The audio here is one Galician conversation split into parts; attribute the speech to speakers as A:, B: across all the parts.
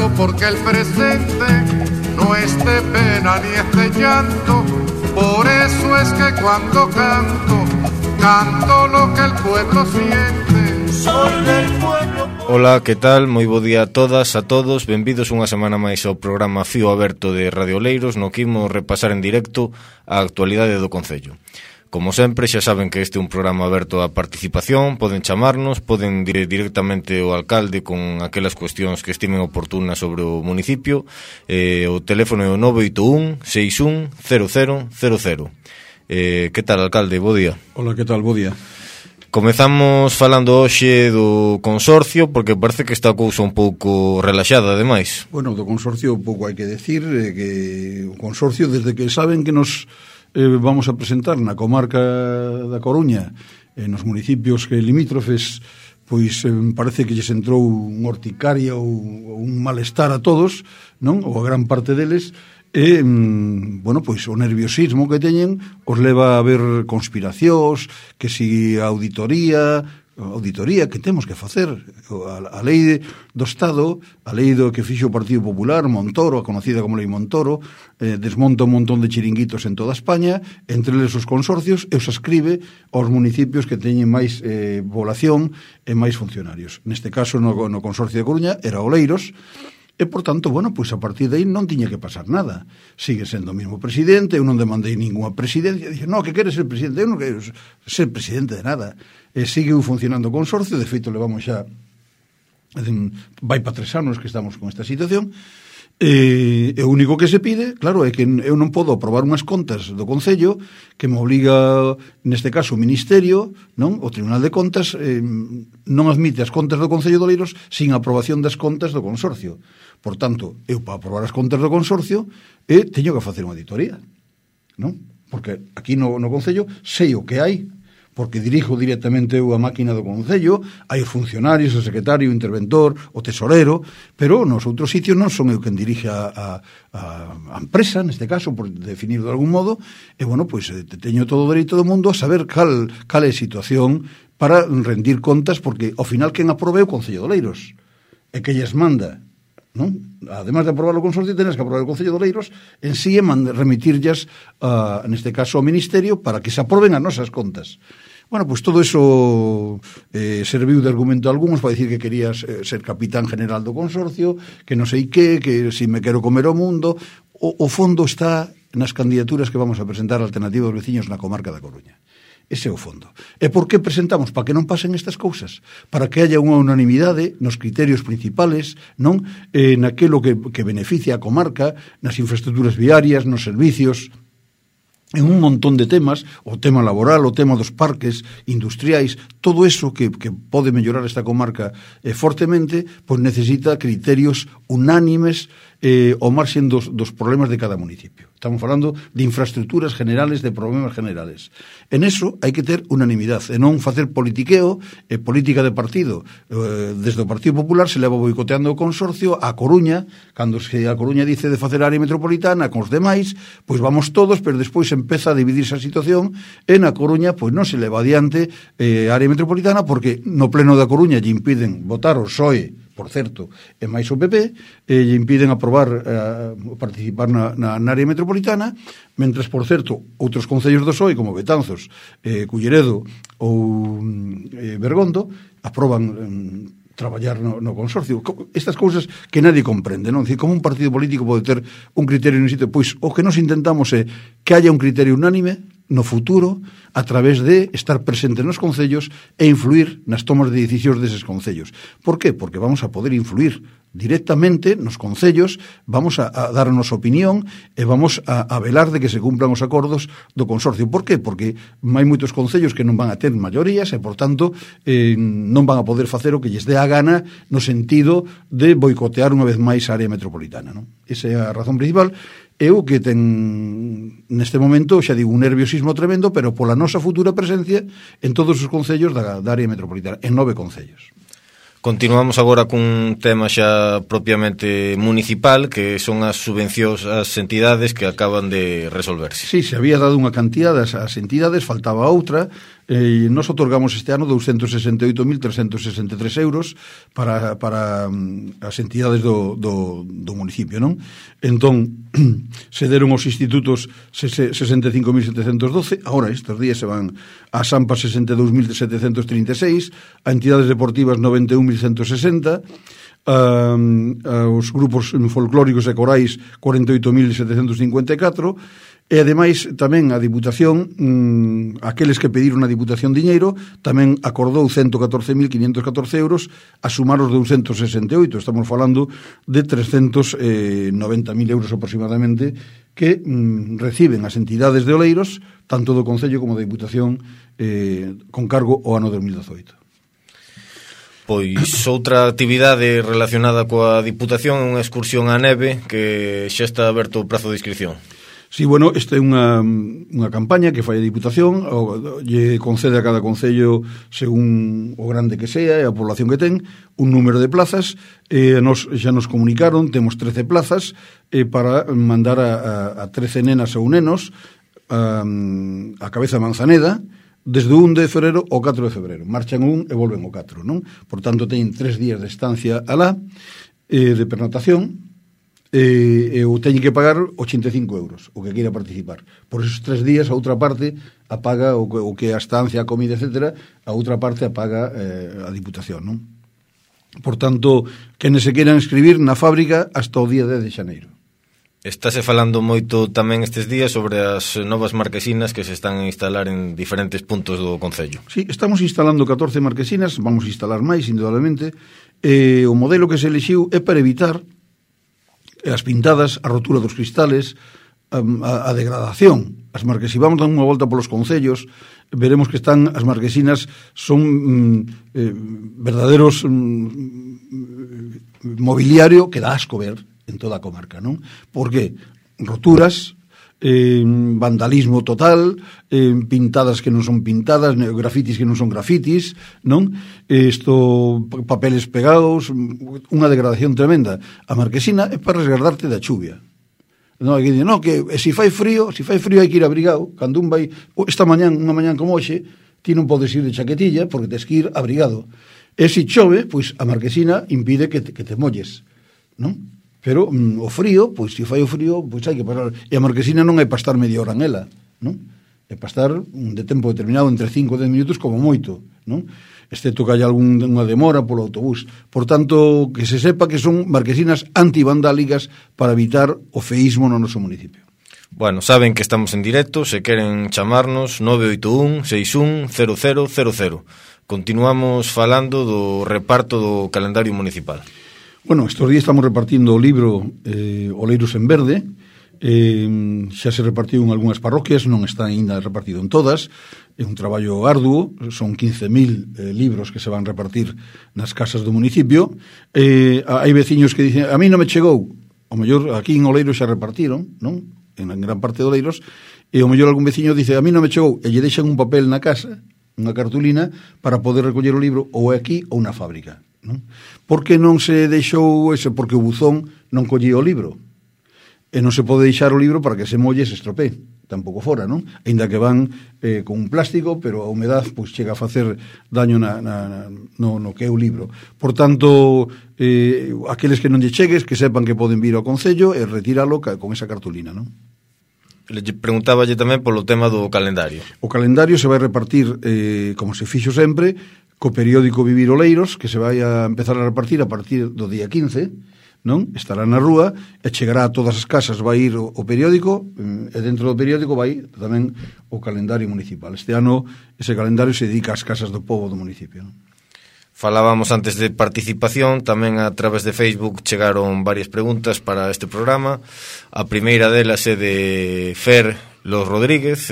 A: rezando porque el presente no es de pena ni es de llanto. Por eso es que cuando canto, canto lo que el pueblo siente. Soy del pueblo.
B: Ola, que tal? Moi bo día a todas, a todos. Benvidos unha semana máis ao programa Fío Aberto de Radio Oleiros, no que imos repasar en directo a actualidade do Concello. Como sempre, xa saben que este é un programa aberto á participación, poden chamarnos, poden dir directamente ao alcalde con aquelas cuestións que estimen oportunas sobre o municipio. O teléfono é o 981 61 0000. Que tal, alcalde? Bo día.
C: Hola, que tal? Bo día.
B: Comezamos falando hoxe do consorcio, porque parece que está a cousa un pouco relaxada, ademais.
C: Bueno, do consorcio pouco hai que decir, que o consorcio, desde que saben que nos vamos a presentar na comarca da Coruña, nos municipios que limítrofes, pois parece que lles entrou un horticaria ou un malestar a todos, non? Ou a gran parte deles, e, bueno, pois o nerviosismo que teñen os leva a ver conspiracións, que si a auditoría que temos que facer, a lei do Estado, a lei do que fixo o Partido Popular, Montoro, a conocida como lei Montoro, desmonta un montón de chiringuitos en toda España, entre eles os consorcios, e os ascribe aos municipios que teñen máis población e máis funcionarios. Neste caso, no consorcio de Coruña, era Oleiros, e, por tanto, bueno, pois a partir de aí non tiña que pasar nada. Sigue sendo o mesmo presidente, eu non demandei ninguna presidencia, dixo, no, que queres ser presidente? Eu non quero ser presidente de nada. Sigue funcionando o consorcio, de feito levamos xa vai para 3 anos que estamos con esta situación, e o único que se pide, claro, é que eu non podo aprobar unhas contas do Concello que me obliga, neste caso, o Ministerio, non? O Tribunal de Contas non admite as contas do Concello de Oleiros sin aprobación das contas do consorcio. Por tanto, eu para aprobar as contas do consorcio teño que facer unha auditoría, non? Porque aquí no Concello sei o que hai, porque dirijo directamente eu a máquina do Concello, hai os funcionarios, o secretario, o interventor, o tesorero, pero nos outros sitios non son eu quen dirige a empresa, neste caso, por definir de algún modo, e, bueno, pois teño todo o dereito do mundo a saber cal é a situación para rendir contas, porque, ao final, quen aprobe o Concello de Oleiros, e que lles manda, non? Además de aprobar o consorcio, tenes que aprobar o Concello de Oleiros en sí e remitirllas, neste caso, ao Ministerio para que se aproben as nosas contas. Bueno, pues todo eso serviu de argumento a algúns para dicir que querías ser capitán general do consorcio, que non sei que si me quero comer o mundo. O fondo está nas candidaturas que vamos a presentar a Alternativa dos Veciños na comarca da Coruña. Ese é o fondo. E por que presentamos? Para que non pasen estas cousas, para que haya unha unanimidade nos criterios principales, non? Naquelo que beneficia a comarca, nas infraestructuras viarias, nos servicios, en un montón de temas, o tema laboral, o tema dos parques industriais, todo eso que pode mellorar esta comarca fortemente, pois necesita criterios unánimes ao marxen dos problemas de cada municipio. Estamos falando de infraestructuras generales, de problemas generales. En eso hai que ter unanimidade, e non facer politiqueo e política de partido. Desde o Partido Popular se leva boicoteando o consorcio a Coruña, cando se a Coruña dice de facer área metropolitana con os demais, pois vamos todos, pero despois empeza a dividirse a situación, e na Coruña pois non se leva adiante área metropolitana, porque no pleno da Coruña lle impiden votar o PSOE, por certo, e máis o PP, lle impiden aprobar participar na área metropolitana, mentras, por certo, outros concellos do PSOE, como Betanzos, Culleredo ou Bergondo, aproban traballar no consorcio. Estas cousas que nadie comprende, non? Dicir, como un partido político pode ter un criterio no sitio? Pois o que nos intentamos é que haya un criterio unánime no futuro a través de estar presente nos concellos e influir nas tomas de decisións deses concellos. Por qué? Porque vamos a poder influir directamente nos concellos, vamos a dar a nosa opinión e vamos a velar de que se cumplan os acordos do consorcio. Por qué? Porque hai moitos concellos que non van a ter maiorías e, por tanto, non van a poder facer o que lles dé a gana no sentido de boicotear unha vez máis a área metropolitana, non? Esa é a razón principal. Eu que ten neste momento, xa digo, un nerviosismo tremendo, pero pola nosa futura presencia en todos os concellos da área metropolitana, en 9 concellos.
B: Continuamos agora cun tema xa propiamente municipal, que son as subvencións ás entidades que acaban de resolverse.
C: Sí, se había dado unha cantidad ás entidades, faltaba outra, Nos otorgamos este ano 268.363 euros para as entidades do municipio, non? Entón, se deron os institutos 65.712, agora estes días se van a Sampa 62.736, a entidades deportivas 91.160, os grupos folclóricos e corais 48.754, e ademais tamén a Diputación, aqueles que pediron a Diputación diñeiro, tamén acordou 114.514 euros a sumar os 268. Estamos falando de 390.000 euros aproximadamente que reciben as entidades de Oleiros, tanto do Concello como da Diputación, con cargo ao ano 2018.
B: Pois outra actividade relacionada coa Diputación é unha excursión á neve que xa está aberto o prazo de inscripción.
C: Sí, bueno, esta é unha campaña que fai a Diputación, lle concede a cada concello, según o grande que sea e a población que ten, un número de plazas. Xa nos comunicaron, temos 13 plazas para mandar a 13 nenas ou nenos a Cabeza Manzaneda, desde o 1 de febrero ao 4 de febrero. Marchan un e volven o 4, non? Por tanto, teñen 3 días de estancia alá, de pernotación, eu teño que pagar 85 euros o que queira participar. Por esos 3 días a outra parte a paga o que a estancia, a comida, etcétera, a outra parte a paga a Diputación, non? Por tanto, quenes se queiran inscribir na fábrica hasta o día 10 de xaneiro.
B: Estáse falando moito tamén estes días sobre as novas marquesinas que se están a instalar en diferentes puntos do concello.
C: Sí, estamos instalando 14 marquesinas, vamos a instalar máis, indudablemente. O modelo que se elixiu é para evitar as pintadas, a rotura dos cristales, a degradación. As marquesinas, vamos dar unha volta polos concellos, veremos que están, as marquesinas son verdaderos mobiliario que dá asco ver en toda a comarca, non? Porque roturas, vandalismo total, pintadas que non son pintadas, grafitis que non son grafitis, non? Papeles pegados, unha degradación tremenda. A marquesina é para resguardarte da chuvia. Non, que no, que se fai frío hai que ir abrigado. Cando un vai, unha mañán como hoxe, ti non podes ir de chaquetilla porque tes que ir abrigado. E se chove, pois a marquesina impide que te molles, non? Pero o frío, pois se fai o frío, pois hai que parar. E a marquesina non é para estar media hora en ela, non? É para estar de tempo determinado, entre 5 e 10 minutos como moito, non? Excepto que haya algunha demora polo autobús. Por tanto, que se sepa que son marquesinas antivandálicas para evitar o feísmo no noso municipio.
B: Bueno, saben que estamos en directo, se queren chamarnos 981 61 0000. Continuamos falando do reparto do calendario municipal.
C: Bueno, estes días estamos repartindo o libro Oleiros en Verde. Xa se repartiu en algunhas parroquias, non está ainda repartido en todas. É un traballo arduo, son 15.000 libros que se van repartir nas casas do municipio. Hai veciños que dicen, a mí non me chegou. O mellor aquí en Oleiros xa repartiron, non? En gran parte de Oleiros. E o mellor algún veciño dice, a mí non me chegou. E lle deixan un papel na casa, unha cartulina, para poder recoller o libro ou aquí ou na fábrica, non? Por que non se deixou ese? Porque o buzón non collía o libro. E non se pode deixar o libro para que se molle e se estropee. Tampouco fora, non? Ainda que van con un plástico, pero a humedad pois chega a facer daño no que é o libro. Por tanto, aqueles que non lle chegues, que sepan que poden vir ao Concello e retíralo con esa cartulina, non?
B: Le preguntáballe tamén polo tema do calendario.
C: O calendario se vai repartir, como se fixo sempre, co periódico Vivir Oleiros, que se vai a empezar a repartir a partir do día 15, non? Estará na rúa e chegará a todas as casas, vai ir o periódico, e dentro do periódico vai tamén o calendario municipal. Este ano ese calendario se dedica ás casas do pobo do municipio, non?
B: Falábamos antes de participación, tamén a través de Facebook chegaron varias preguntas para este programa. A primeira delas é de Fer Los Rodríguez,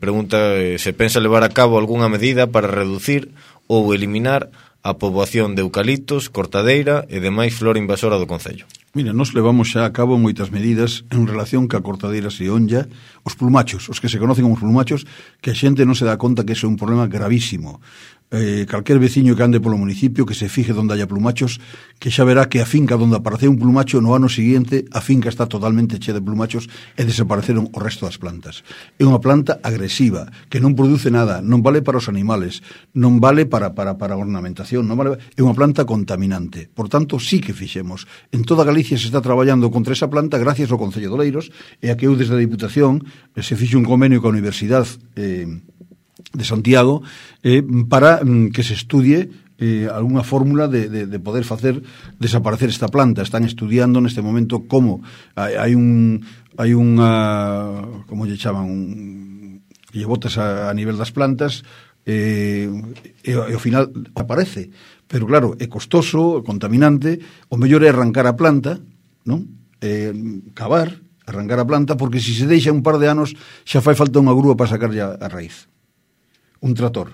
B: pregunta se pensa levar a cabo algunha medida para reducir ou eliminar a poboación de eucaliptos, cortadeira e demais flora invasora do concello.
C: Mira, nos levamos xa a cabo moitas medidas en relación ca cortadeira se onlla, os plumachos, os que se conocen como plumachos, que a xente non se dá conta que iso é un problema gravísimo. calquer veciño que ande polo municipio que se fije onde haya plumachos, que xa verá que a finca onde apareceu un plumacho no ano seguinte a finca está totalmente chea de plumachos e desapareceron o resto das plantas. É unha planta agresiva que non produce nada, non vale para os animales, non vale para a ornamentación, non vale, é unha planta contaminante. Por tanto, sí que fixemos. En toda Galicia se está traballando contra esa planta gracias ao Concello de Oleiros e a que eu desde a Diputación se fixe un convenio coa Universidade de Santiago para que se estudie alguna fórmula de poder facer desaparecer esta planta. Están estudiando neste momento como hai unha como lle chaman que lle botas a nivel das plantas e ao final aparece, pero claro, é costoso, contaminante. O mellor é arrancar a planta, non? Cavar, arrancar a planta, porque se se deixa un par de anos xa fai falta unha grúa para sacarlle a raíz. Un trator,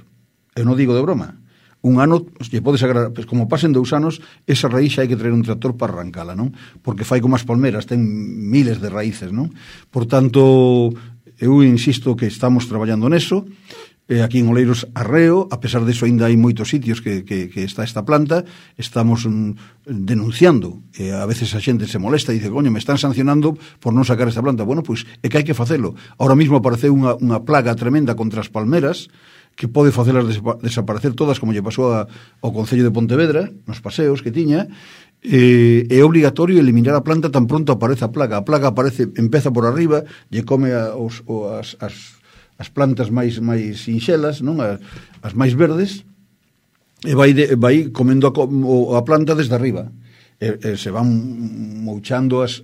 C: eu non digo de broma, un ano lle pode sacar, pues, como pasen 2 anos, esa raíz xa hai que traer un tractor para arrancala, non? Porque fai como as palmeras, ten miles de raíces, non? Por tanto, eu insisto que estamos traballando neso. Aquí en Oleiros arreo, a pesar de eso ainda hai moitos sitios que está esta planta, estamos denunciando, a veces a xente se molesta e dice, coño, me están sancionando por non sacar esta planta. Bueno, pois é que hai que facelo. Ahora mismo apareceu unha plaga tremenda contra as palmeras que pode facelas desaparecer todas, como lle pasou ao Concello de Pontevedra nos paseos que tiña. É obligatorio eliminar a planta tan pronto aparece a plaga. A plaga aparece, empeza por arriba, lle come as plantas máis sinxelas, non? As máis verdes, e vai comendo a planta desde arriba. Se van mouchando as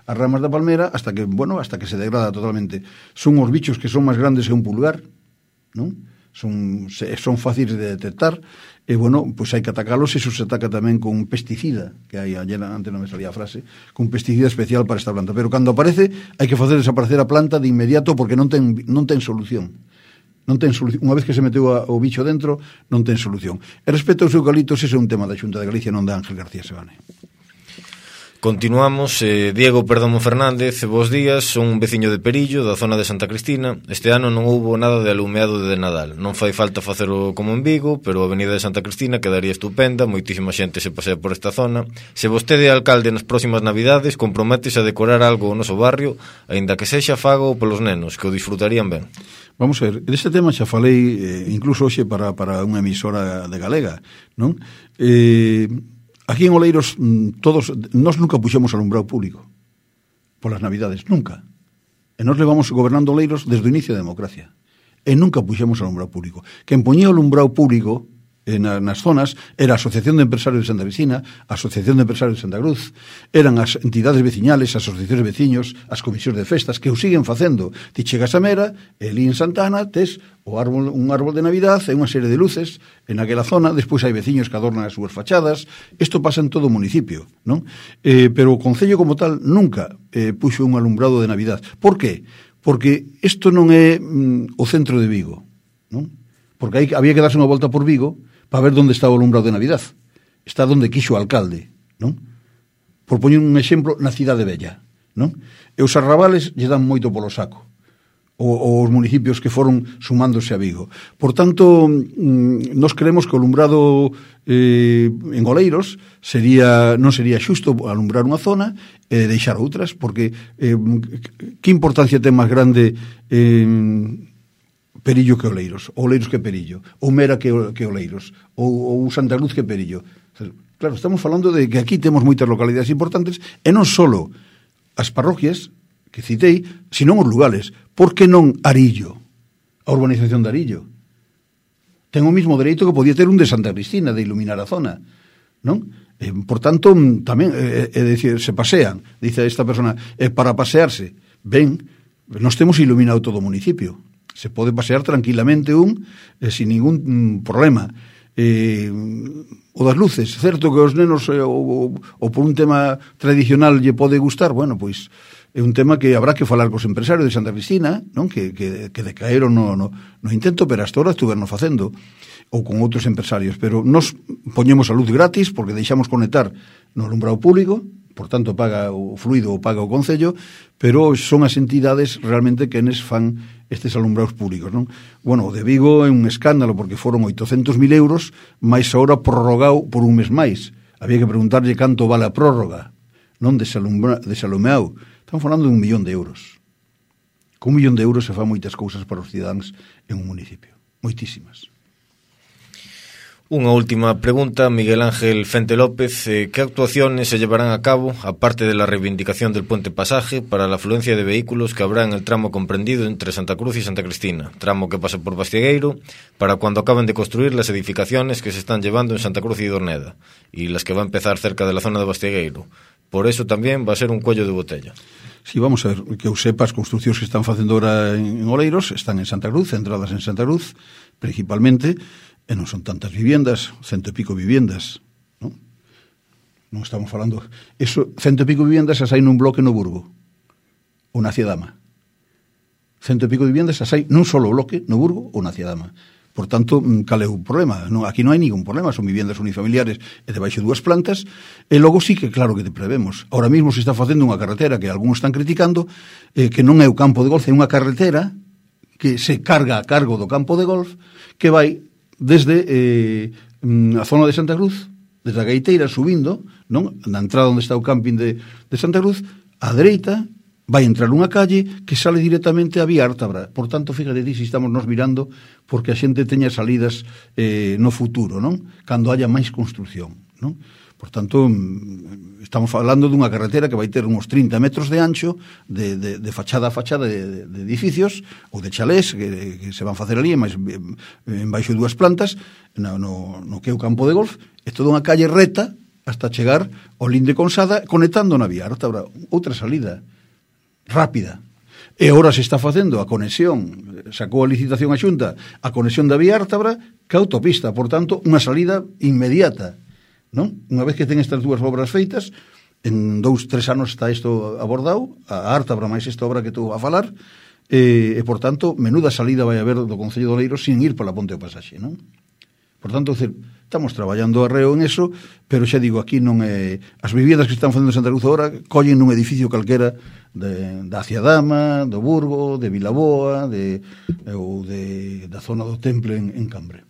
C: ramas da palmera hasta que se degrada totalmente. Son os bichos que son máis grandes que un pulgar, non? Son fáciles de detectar e, pois hai que atacalos. Eso se ataca tamén con un pesticida, que hai ayer, antes non me salía a frase, con un pesticida especial para esta planta, pero cando aparece hai que facer desaparecer a planta de inmediato, porque non ten solución. Non ten solución. Unha vez que se meteu o bicho dentro, non ten solución. E respecto aos eucaliptos, ese é un tema da Xunta de Galicia, non da Ángel García Sebane.
B: Continuamos, Diego Perdomo Fernández, bos días, son un veciño de Perillo, da zona de Santa Cristina. Este ano non houbo nada de alumeado de Nadal. Non fai falta facelo como en Vigo, pero a avenida de Santa Cristina quedaría estupenda, moitísima xente se pasea por esta zona. Se vostede é alcalde nas próximas Navidades, comprométese a decorar algo o noso barrio, aínda que sexa fago polos nenos, que o disfrutarían ben.
C: Vamos a ver, deste tema xa falei incluso hoxe para unha emisora de Galega, non? Aquí en Oleiros nós nunca puxemos alumbrado público polas Navidades, nunca. E nós levamos gobernando Oleiros desde o inicio da democracia e nunca puxemos alumbrado público. Quen poñía alumbrado público nas zonas era a Asociación de Empresarios de Santa Cristina, a Asociación de Empresarios de Santa Cruz, eran as entidades veciñales, as asociacións de veciños, as comisións de festas, que o siguen facendo. Ti chegas a Mera, e ali en Santana tes un árbol de Navidad e unha serie de luces en aquela zona. Despois hai veciños que adornan as súas fachadas. Isto pasa en todo o municipio, non? Pero o Concello como tal nunca puxo un alumbrado de Navidad. Por qué? Porque isto non é o centro de Vigo, non? Porque había que darse unha volta por Vigo para ver onde estaba o alumbrado de Navidad. Está onde quixo o alcalde, non? Por poñer un exemplo, na Cidade Bella, non? E os arrabales lle dan moito polo saco, os municipios que foron sumándose a Vigo. Por tanto, nós creemos que o alumbrado en Oleiros non sería xusto alumbrar unha zona e deixar outras, porque que importancia ten máis grande Perillo que Oleiros, ou Oleiros que Perillo, ou Mera que Oleiros, ou Santa Cruz que Perillo. Claro, estamos falando de que aquí temos moitas localidades importantes, e non só as parroquias que citei, senón os lugares. Por que non Arillo? A urbanización de Arillo ten o mismo dereito que podía ter un de Santa Cristina, de iluminar a zona, non? Por tanto, tamén, decir, se pasean, dice esta persona, para pasearse, ben, nos temos iluminado todo o municipio. Se pode pasear tranquilamente sin ningún problema. O das luces, certo que os nenos ou por un tema tradicional lle pode gustar, pois é un tema que habrá que falar cos empresarios de Santa Cristina, non? Que decaeron no intento, pero hasta ahora estuveron facendo, ou con outros empresarios. Pero nos poñemos a luz gratis porque deixamos conectar no alumbrado público, por tanto paga o fluido ou paga o Concello, pero son as entidades realmente que enes fan estes alumbrados públicos, non? Bueno, o de Vigo é un escándalo porque foron 800.000 euros, máis agora prorrogado por un mes máis. Había que preguntarlle canto vale a prórroga, non desalumeado. Estamos falando de 1 millón de euros. Con 1 millón de euros se fan moitas cousas para os cidadáns en un municipio, moitísimas.
B: Unha última pregunta, Miguel Ángel Fente López. ¿Qué actuaciones se llevarán a cabo, aparte de la reivindicación del puente pasaje, para la afluencia de vehículos que habrá en el tramo comprendido entre Santa Cruz y Santa Cristina, tramo que pasa por Bastiegueiro, para cuando acaben de construir las edificaciones que se están llevando en Santa Cruz y Dorneda, y las que va a empezar cerca de la zona de Bastiegueiro? Por eso también va a ser un cuello de botella.
C: Sí, vamos a ver, que eu sepa, as construcións que están facendo ahora en Oleiros están en Santa Cruz, centradas en Santa Cruz, principalmente, e non son tantas viviendas, 100 e pico viviendas, non? Non estamos falando... Eso, 100 e pico viviendas as hai nun bloque no Burgo, ou na Ciadama. 100 e pico viviendas as hai nun solo bloque no Burgo ou na Ciadama. Por tanto, cal é o problema? Non, aquí non hai ningún problema, son viviendas unifamiliares e debaixo dúas plantas, e logo sí que claro que te prevemos. Ahora mesmo se está facendo unha carretera que algúns están criticando, que non é o campo de golf, é unha carretera que se carga a cargo do campo de golf, que vai desde a zona de Santa Cruz, desde a Gaiteira, subindo, non? Na entrada onde está o camping de Santa Cruz, á dereita, vai entrar unha calle que sale directamente a Vía Ártabra. Por tanto, fíjate ti, si estamos nos mirando porque a xente teña salidas no futuro, non? Cando haya máis construcción, non? Por tanto, estamos falando dunha carretera que vai ter uns 30 metros de ancho de fachada a fachada de edificios ou de chalés que se van facer ali en baixo dúas plantas no que é o campo de golf. É toda unha calle reta hasta chegar ao Linde Consada conectando na Vía Ártabra. Outra salida rápida. E agora se está facendo a conexión, sacou a licitación a Xunta, a conexión da Vía Ártabra que a autopista, por tanto, unha salida inmediata, non? Unha vez que ten estas dúas obras feitas, en 2-3 anos está isto abordado, a Ártabra máis esta obra que estou a falar, e por tanto, menuda salida vai haber do Concello de Oleiros sin ir pola Ponte ao Pasaxe, non? Por tanto, estamos traballando arreo en eso, pero xa digo, aquí non é... As viviendas que están facendo en Santa Cruz agora collen nun edificio calquera da Ciadama, do Burgo, de Vilaboa, ou da zona do Temple en Cambre.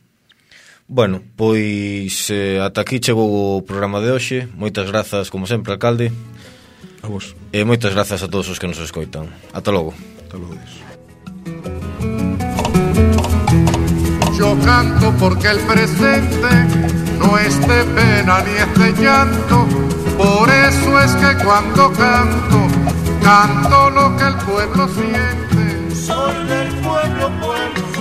B: Bueno, pois ata aquí chegou o programa de hoxe. Moitas grazas, como sempre, alcalde.
C: A vos.
B: E moitas grazas a todos os que nos escoitan. Ata logo.
C: Ata logo.
A: Yo canto porque el presente no es de pena ni es de llanto. Por eso es que cuando canto, canto lo que el pueblo siente.
D: Soy del pueblo, pueblo.